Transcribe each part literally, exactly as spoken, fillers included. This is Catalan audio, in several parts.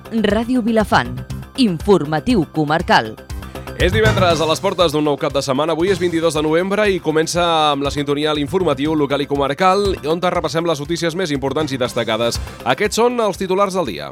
Ràdio Vilafant. Informatiu comarcal. És divendres a les portes d'un nou cap de setmana. Avui és vint-i-dos de novembre i comença amb la sintonia a l'informatiu local i comarcal, on repassem les notícies més importants i destacades. Aquests són els titulars del dia.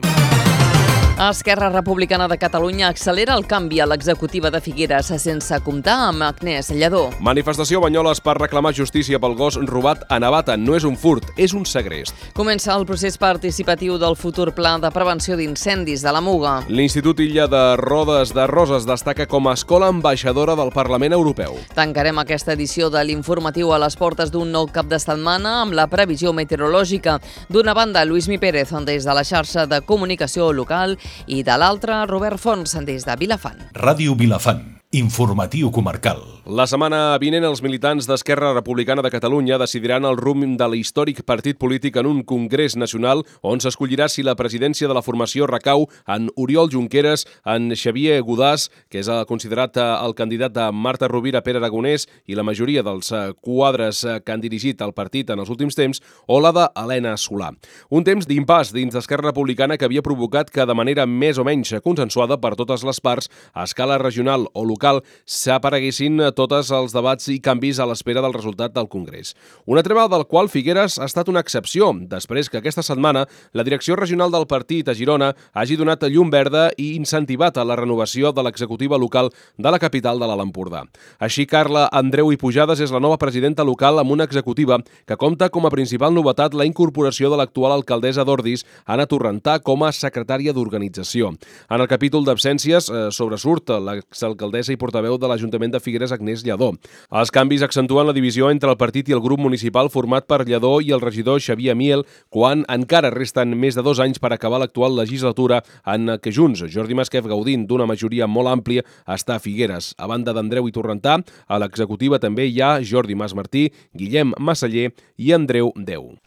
Esquerra Republicana de Catalunya accelera el canvi a l'executiva de Figueres sense comptar amb Agnès Lledó. Manifestació a Banyoles per reclamar justícia pel gos robat a Navata. No és un furt, és un segrest. Comença el procés participatiu del futur pla de prevenció d'incendis de la Muga. L'Institut Illa de Rodes de Roses destaca com a escola ambaixadora del Parlament Europeu. Tancarem aquesta edició de l'informatiu a les portes d'un nou cap de setmana amb la previsió meteorològica. D'una banda, Lluís Mi Pérez des de la xarxa de comunicació local i de l'altra, Robert Fons des de Vilafant. Ràdio Vilafant. Informatiu comarcal. La setmana vinent els militants d'Esquerra Republicana de Catalunya decidiran el rumb de l'històric partit polític en un congrés nacional on s'escollirà si la presidència de la formació recau en Oriol Junqueras, en Xavier Godàs, que és considerat el candidat de Marta Rovira, Pere Aragonès i la majoria dels quadres que han dirigit el partit en els últims temps, o la d'Helena Solà. Un temps d'impàs dins d'Esquerra Republicana que havia provocat que de manera més o menys consensuada per totes les parts, a escala regional o local, s'apareguessin tots els debats i canvis a l'espera del resultat del Congrés. Una treva del qual Figueres ha estat una excepció, després que aquesta setmana la direcció regional del partit a Girona hagi donat llum verda i incentivat a la renovació de l'executiva local de la capital de l'Alt Empordà. Així, Carla Andreu i Pujades és la nova presidenta local amb una executiva que compta com a principal novetat la incorporació de l'actual alcaldessa d'Ordis, Anna Torrentà, com a secretària d'organització. En el capítol d'absències eh, sobresurt l'exalcaldessa i portaveu de l'Ajuntament de Figueres, Agnès Lledó. Els canvis accentuen la divisió entre el partit i el grup municipal format per Lledó i el regidor Xavier Amiel, quan encara resten més de dos anys per acabar l'actual legislatura en què Junts, Jordi Masquef, gaudint d'una majoria molt àmplia, està a Figueres. A banda d'Andreu i Torrentà, a l'executiva també hi ha Jordi Mas Martí, Guillem Massaller i Andreu Deu.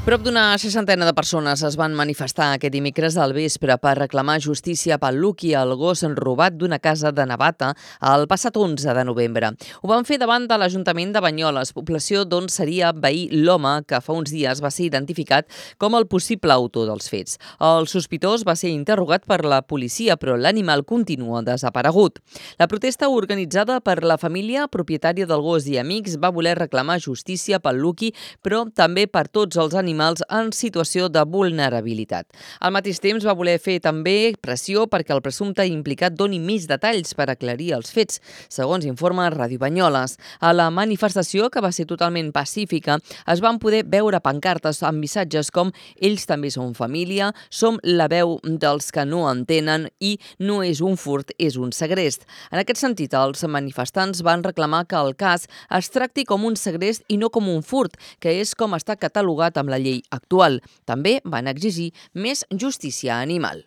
Prop d'una seixantena de persones es van manifestar aquest dimecres al vespre per reclamar justícia pel Lucky, el gos robat d'una casa de Navata, el passat onze de novembre. Ho van fer davant de l'Ajuntament de Banyoles, població d'on seria veí l'home que fa uns dies va ser identificat com el possible autor dels fets. El sospitós va ser interrogat per la policia, però l'animal continua desaparegut. La protesta organitzada per la família propietària del gos i amics va voler reclamar justícia pel Lucky, però també per tots els animals en situació de vulnerabilitat. Al mateix temps va voler fer també pressió perquè el presumpte implicat doni més detalls per aclarir els fets, segons informa Ràdio Banyoles. A la manifestació, que va ser totalment pacífica, es van poder veure pancartes amb missatges com «Ells també són família», «Som la veu dels que no entenen» i «No és un furt, és un segrest». En aquest sentit, els manifestants van reclamar que el cas es tracti com un segrest i no com un furt, que és com està catalogat amb la llei actual. També van exigir més justícia animal.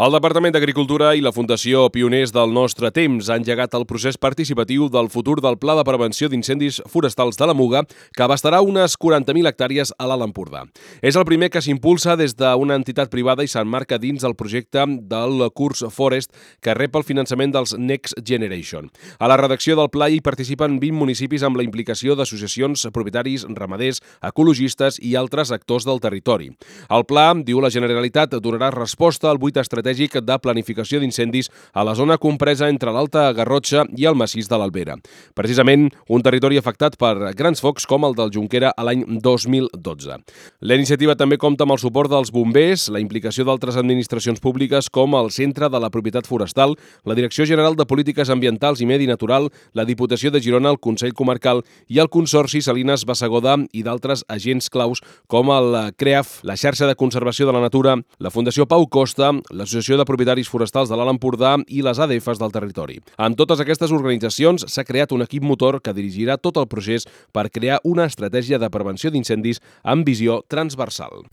El Departament d'Agricultura i la Fundació Pioners del Nostre Temps han engegat el procés participatiu del futur del Pla de Prevenció d'Incendis Forestals de la Muga, que abastarà unes quaranta mil hectàrees a l'Alt Empordà. És el primer que s'impulsa des d'una entitat privada i s'emmarca dins del projecte del Curs Forest, que rep el finançament dels Next Generation. A la redacció del pla hi participen vint municipis amb la implicació d'associacions, propietaris, ramaders, ecologistes i altres actors del territori. El pla, diu la Generalitat, donarà resposta al buit estratègic de planificació d'incendis a la zona compresa entre l'Alta Garrotxa i el massís de l'Albera. Precisament, un territori afectat per grans focs com el del Jonquera a l'any dos mil dotze. La iniciativa també compta amb el suport dels bombers, la implicació d'altres administracions públiques com el Centre de la Propietat Forestal, la Direcció General de Polítiques Ambientals i Medi Natural, la Diputació de Girona, el Consell Comarcal i el Consorci Salines Bassegoda i d'altres agents claus com el CREAF, la Xarxa de Conservació de la Natura, la Fundació Pau Costa, l'Associació de Propietaris Forestals de l'Alt Empordà i les A D Fs del territori. Amb totes aquestes organitzacions s'ha creat un equip motor que dirigirà tot el procés per crear una estratègia de prevenció d'incendis amb visió transversal.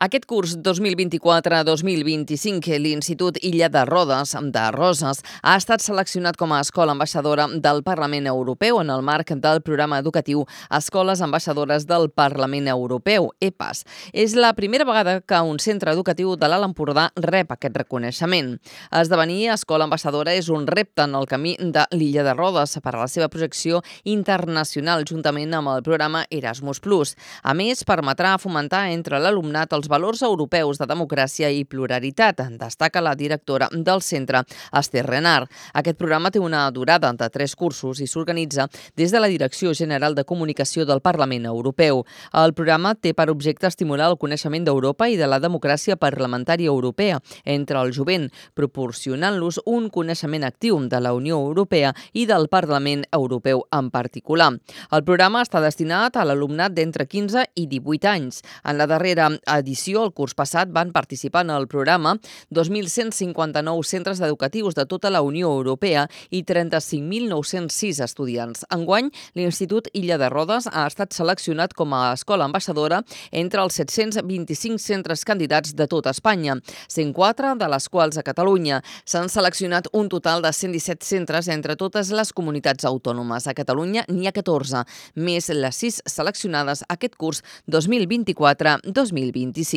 Aquest curs dos mil vint-i-quatre dos mil vint-i-cinc, l'Institut Illa de Rodes de Roses ha estat seleccionat com a escola ambaixadora del Parlament Europeu en el marc del programa educatiu Escoles Ambaixadores del Parlament Europeu, E P A S. És la primera vegada que un centre educatiu de l'Alt Empordà rep aquest reconeixement. Esdevenir escola ambaixadora és un repte en el camí de l'Illa de Rodes per a la seva projecció internacional juntament amb el programa Erasmus plus. A més, permetrà fomentar entre l'alumnat els valors europeus de democràcia i pluralitat, destaca la directora del centre, Esther Renard. Aquest programa té una durada de tres cursos i s'organitza des de la Direcció General de Comunicació del Parlament Europeu. El programa té per objecte estimular el coneixement d'Europa i de la democràcia parlamentària europea entre el jovent, proporcionant-los un coneixement actiu de la Unió Europea i del Parlament Europeu en particular. El programa està destinat a l'alumnat d'entre quinze i divuit anys. En la darrera edició, el curs passat, van participar en el programa dos mil cent cinquanta-nou centres educatius de tota la Unió Europea i trenta-cinc mil nou-cents sis estudiants. Enguany, l'Institut Illa de Rodes ha estat seleccionat com a escola ambaixadora entre els set-cents vint-i-cinc centres candidats de tota Espanya, cent quatre de les quals a Catalunya. S'han seleccionat un total de cent disset centres entre totes les comunitats autònomes. A Catalunya n'hi ha catorze, més les sis seleccionades aquest curs dos mil vint-i-quatre dos mil vint-i-cinc.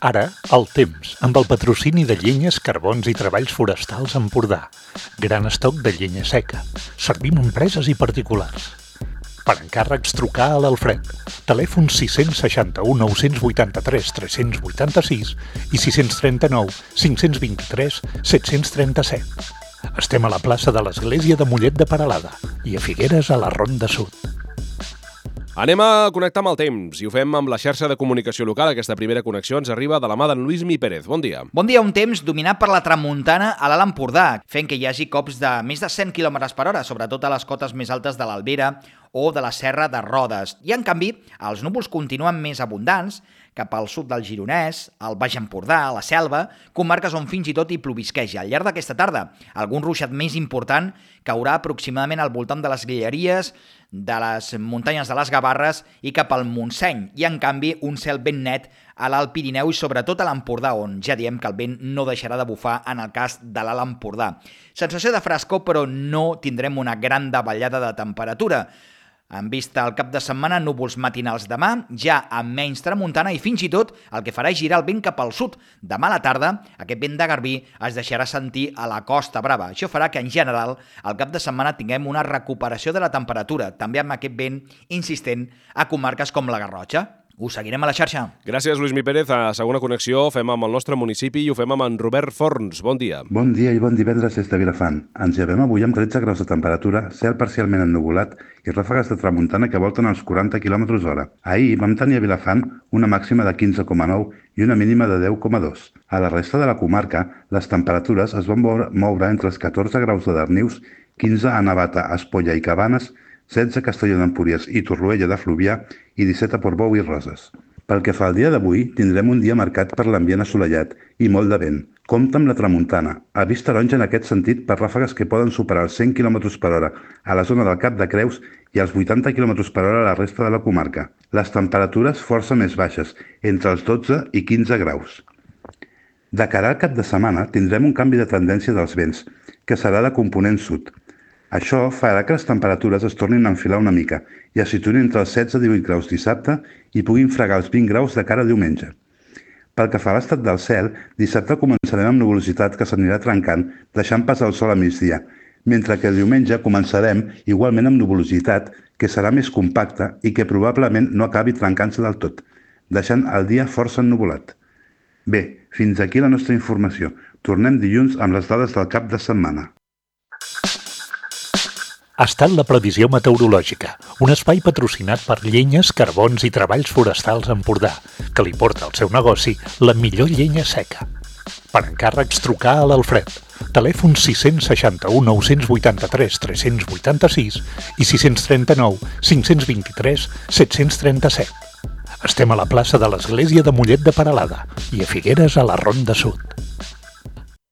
Ara, el temps, amb el patrocini de Llenyes, Carbons i Treballs Forestals Empordà. Gran estoc de llenya seca. Servim empreses i particulars. Per encàrrecs, trucar a l'Alfred. Telèfon sis seixanta-u nou vuitanta-tres tres vuitanta-sis i sis trenta-nou cinc vint-i-tres set trenta-set. Estem a la plaça de l'Església de Mollet de Peralada i a Figueres, a la Ronda Sud. Anem a connectar amb el temps i ho fem amb la xarxa de comunicació local. Aquesta primera connexió ens arriba de la mà d'en Luismi Pérez. Bon dia. Bon dia, un temps dominat per la tramuntana a l'Alt Empordà, fent que hi hagi cops de més de cent quilòmetres per hora, sobretot a les cotes més altes de l'Albera o de la Serra de Rodes. I, en canvi, els núvols continuen més abundants cap al sud del Gironès, al Baix Empordà, a la Selva, comarques on fins i tot hi plovisqueja. Al llarg d'aquesta tarda, algun ruixat més important caurà aproximadament al voltant de les Guilleries, de les muntanyes de les Gavarres i cap al Montseny. I, en canvi, un cel ben net a l'Alt Pirineu i sobretot a l'Empordà, on ja diem que el vent no deixarà de bufar en el cas de l'Alt Empordà. Sensació de frescor, però no tindrem una gran davallada de temperatura. En vista al cap de setmana, núvols matinals demà, ja amb menys tramuntana i fins i tot el que farà és girar el vent cap al sud. Demà a la tarda, aquest vent de garbí es deixarà sentir a la Costa Brava. Això farà que, en general, al cap de setmana tinguem una recuperació de la temperatura, també amb aquest vent insistent a comarques com la Garrotxa. Us seguirem a la xarxa. Gràcies, Luismi Pérez. A segona connexió fem amb el nostre municipi i ho fem amb en Robert Forns. Bon dia. Bon dia i bon divendres des de Vilafant. Ens llevem avui amb tretze graus de temperatura, cel parcialment ennuvolat i ràfegues de tramuntana que volten als quaranta quilòmetres hora. Ahir vam tenir a Vilafant una màxima de quinze coma nou i una mínima de deu coma dos. A la resta de la comarca, les temperatures es van moure entre els catorze graus de Darnius, quinze a Navata, Espolla i Cabanes, setze a Castelló d'Empúries i Torroella de Fluvià i disset a Portbou i Roses. Pel que fa al dia d'avui, tindrem un dia marcat per l'ambient assolellat i molt de vent. Compte amb la tramuntana, avís taronja en aquest sentit per ràfegues que poden superar els cent quilòmetres per hora a la zona del Cap de Creus i els vuitanta quilòmetres per hora a la resta de la comarca. Les temperatures força més baixes, entre els dotze i quinze graus. De cara al cap de setmana tindrem un canvi de tendència dels vents, que serà de component sud. Això farà que les temperatures es tornin a enfilar una mica i es situïn entre els setze i divuit graus dissabte i puguin fregar els vint graus de cara a diumenge. Pel que fa a l'estat del cel, dissabte començarem amb nuvolositat que s'anirà trencant, deixant passar el sol a migdia, mentre que diumenge començarem igualment amb nuvolositat que serà més compacta i que probablement no acabi trencant-se del tot, deixant el dia força ennuvolat. Bé, fins aquí la nostra informació. Tornem dilluns amb les dades del cap de setmana. Ha estat la previsió meteorològica, un espai patrocinat per Llenyes, Carbons i Treballs Forestals Empordà, que li porta al seu negoci la millor llenya seca. Per encàrrecs, trucar a l'Alfred. Telèfon sis seixanta-u nou vuitanta-tres tres vuitanta-sis i sis trenta-nou cinc vint-i-tres set trenta-set. Estem a la plaça de l'Església de Mollet de Peralada i a Figueres, a la Ronda Sud.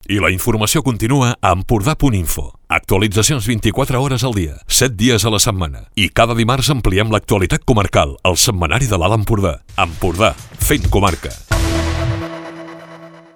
I la informació continua a empordà punt info. Actualitzacions vint-i-quatre hores al dia, set dies a la setmana. I cada dimarts ampliem l'actualitat comarcal, al setmanari de l'Alt Empordà. Empordà, fent comarca.